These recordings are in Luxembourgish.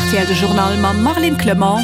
rtl de Journal mam Marlene Clement.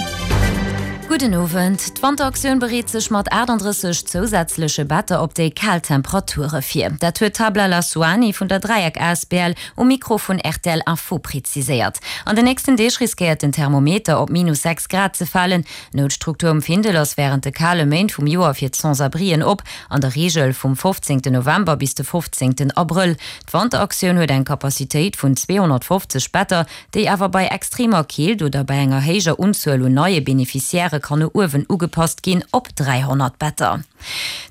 Gudden Owend. D'Wanteraktioun bereet sech mat 38 zousätzleche Better op déi kal Temperature vir. Dat huet d'Habla Lasouani vun der Dräieck asbl um Mikro vun rtl Info preziséiert. An den nächsten Deeg riskéiert den Thermometer op minus 6 Grad ze falen. D'Noutstruktur um Findel ass wärend de kale Méint vum Joer fir d'Sans-abrien op, an der Reegel vum 15 November bis de 15 Abrëll. D'Wanteraktioun huet eng Capacitéit vun 250 Better, déi awer bei extremer Keelt oder bei enger héijer Unzuel un neie Beneficiairë kann no uewen ugepasst ginn op 300 Better.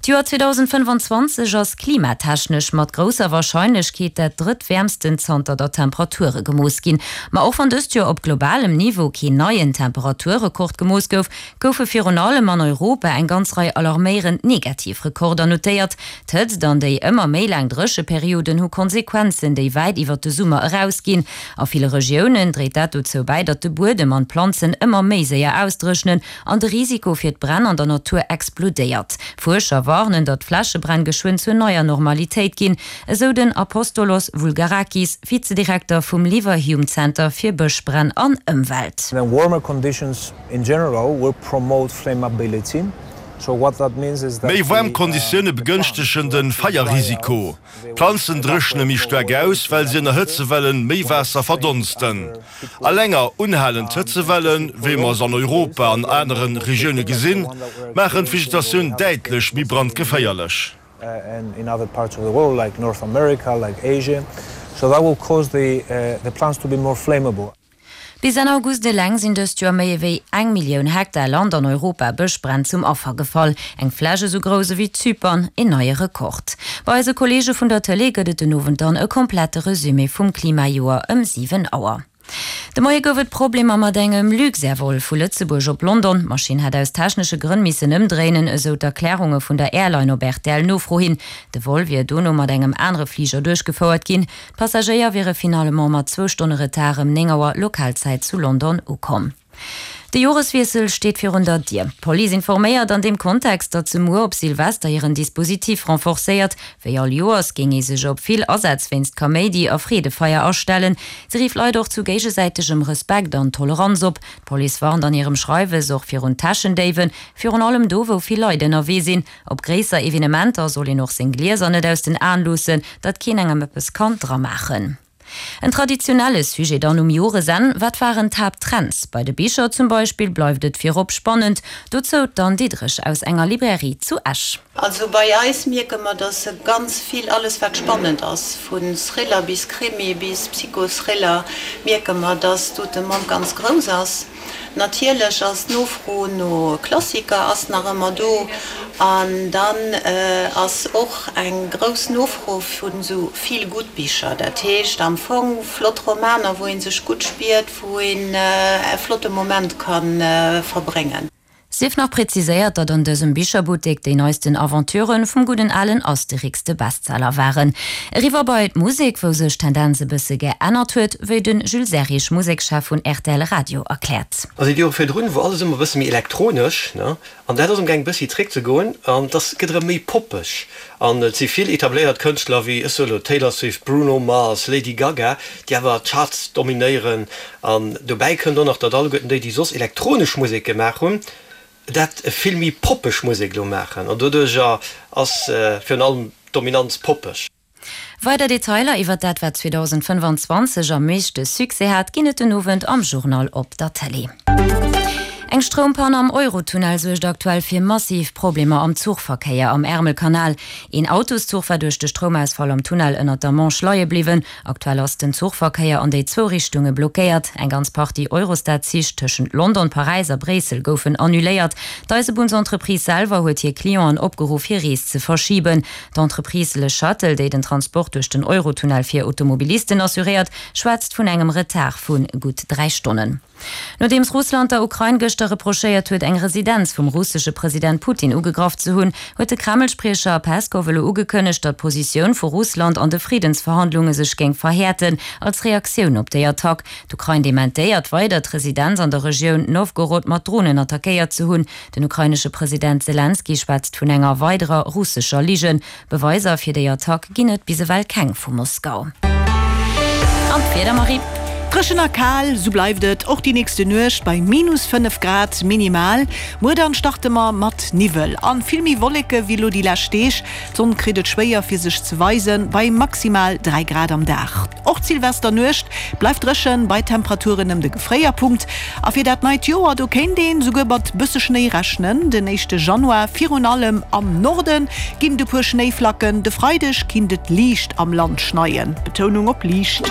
D'Joer 2025 ass klimatechnesch mat grousser Warscheinlechkeet dat drëttwäermsten zanter datt Temperature gemooss ginn. Ma och wann dëst Joer op globalem Niveau keen neien Temperaturrekord gemooss gouf, goufe virun allem an Europa eng ganz Rei alarméierend negativ Rekorder notéiert. D'Hëtzt an déi ëmmer méi laang Drécheperioden hu Konsequenzen, déi wäit iwwer de Summer erausginn. A ville Regiounen dréit dat dozou bäi, datt de Buedem an d'Planzen ëmmer méi séier ausdréchnen An de Risiko fir d'Bränn an der Natur explodéiert. Fuerscher warnen, datt Flächebränn geschwënn zur neier Normalitéit ginn, esou den Apostolos Voulgarakis, Vizedirekter vum Leverhulme Center fir Bëschbränn an Ëmwelt. Warmer conditions in general will promote flammability, so what that means is that Méi waarm Konditioune begënschtegen de Feierrisiko. D'Planzen dréchne méi staark aus, well si ënner Hëtzewellen méi Waasser verdonsten. A länger unhalend Hëtzewellen, wéi mer se an Europa an anere Regioune gesinn, maachen d'Vegetatioun däitlech méi brandgeféierlech. Bis Enn August eleng sinn dëst Joer méi ewéi eng Millioun Hektar Land an Europa Bëschbränn zum Affer gefall. Eng Fläch esou grouss ewéi Zypern, een neie Rekord. Bei eise Kolleege vun der Tëlee gëtt et den Owend dann e komplette Resumé vum Klimajoer ëm 7 Auer. De Moie gouf et Problemer mat engem Luxair-Vol vu Lëtzebuerg op London. D'Maschinn hätt aus technesche Grënn missen ëmdréinen, esou d'Erklärunge vun der Airline op RTL-Nofro hin. De Vol wier dono mat engem anere Fliger duerchgefouert ginn. D'Passagéier wiere finalement mat zwou Stonne Retard ëm 9 Auer Lokalzäit zu London ukomm. De Joreswiessel steet virun der Dier. D'Police informéiert an deem Kontext, datt se muer op Silvester hiren Dispositif renforcéiert. Wéi all Joers géing ee sech op vill Asätz wéinst Kaméidi a Freedefeier astellen. Se rifft Leit och zu géigesäitegem Respekt an Toleranz op. D'Police warnt an hirem Schreiwes och virun Täschendéiwen, virun allem do wou vill Leit ënnerwee sinn. Op gréisser Evenementer soll een och seng Glieser net aus den Aen loossen, datt keen engem eppes kann dramaachen. En traditionelle Sujet dann um Joresenn, Wat waren d'Haapttrends? Bei de Bicher zum Beispill bleift et virop spannend. Dozou d'Anne Diderich aus enger Librairie zu Esch. Also bei eis mierke mer, dass ganz vill, alles wat spannend ass, vu Thriller bis Krimi bis Psychothriller, mierke mer, dass do d'Demande ganz grouss ass. Natierlech ass d'Nofro no Klassiker ass nach ëmmer do an dann ass och eng grouss Nofro vun esou Feel-Good Bicher, dat heescht am Fong flott Romaner, wou ee sech gutt spiert, wou een e flotte Moment ka verbréngen. Sief nach präziséiert, datt an dësem Bicherbuttek déi neisten Aventuren vum gudden alen Asterix de Bestseller waren. Eriwwer bei d'Musek, wou sech d'Tendenz e bësse geännert huet, wéi de Jules Serrig, Musekschef vun rtl Radio erkläert. Also déi Jore virdrun wor alles ëmmer e bësse méi elektronesch, ne, an dat ass amgaang e bëssi zréck ze goen an dass gëtt erëm méi poppeg an et si vill etabléiert Kënschtler wéi, ech soe lo, Taylor Swift, Bruno Mars, Lady Gaga, déi awer d'Charts dominéieren An dobäi kënnt och nach, datt alleguerten déi, déi soss elektronesch Musek gemaach hunn, dat vill méi poppeg Musek elo maachen. An doduercher ass virun allem d'Dominanz poppeg. Weider Detailer iwwer dat, wat 2025 am meeschte Succès hat, ginn et den Owend am Journal op der Tëlee. Eng Stroumpann am Eurotunnel suergt aktuell fir massiv Problemer am Zuchverkéier am Ärmelkanal. Een Autoszuch war duerch de Stroumausfall am Tunnel ënnert der Manche leie bliwwen. Aktuell ass den Zuchverkéier an déi zwou Richtunge blockéiert. Eng ganz Partie Eurostar-Zich tëschent London, Paräis a Bréissel goufen annuléiert. D'Eisebunnsentreprise selwer huet hir Clienten opgeruff, hir Rees ze verschiben. D'Entreprise Le Shuttle, déi den Transport duerch den Eurotunnel fir Automobilisten assuréiert, schwätzt vun engem Retard vu gutt 3 Stonnen. Nodeems Russland der Ukrain gëschter reprochéiert huet, eng Residenz vum russesche President Putin ugegraff ze hunn, huet de Kreml-Spriecher Peskow elo ugekënnegt, datt d'Positioun vu Russland an de Friddensverhandlunge sech géing verhäerten, als Reaktioun op déi Attack. D'Ukrain dementéiert weider, d'Residenz an der Regioun Nowgorod mat Dronen attackéiert ze hunn. Den ukrainesche President Selenskyj schwätzt vun enger weiderer russescher Ligen. Beweiser fir déi Attack ginn et bis ewell keng vu Moskau. An d'Wieder, Marie? Dréchen a kal, sou bleift et och déi nächste Nuecht bei minus 5 Grad minimal. Muer dann starte mer mat Niwwel an vill méi Wolleke wéi elo déi lescht Deeg. D'Sonn kritt et schwéier fir sech ze weisen, bei maximal 3 Grad am Dag. Och d'Silvesternuecht bleift dréchen, bei Temperaturen ëm de Gefréierpunkt. A fir dat neit Joer, do kéint een souguer mat bësse Schnéi rechnen. Den éischte Januar, virun allem am Norde ginn et e puer Schnéiflacken. De Freideg kinnt et liicht am Land schneien, Betounung op liicht.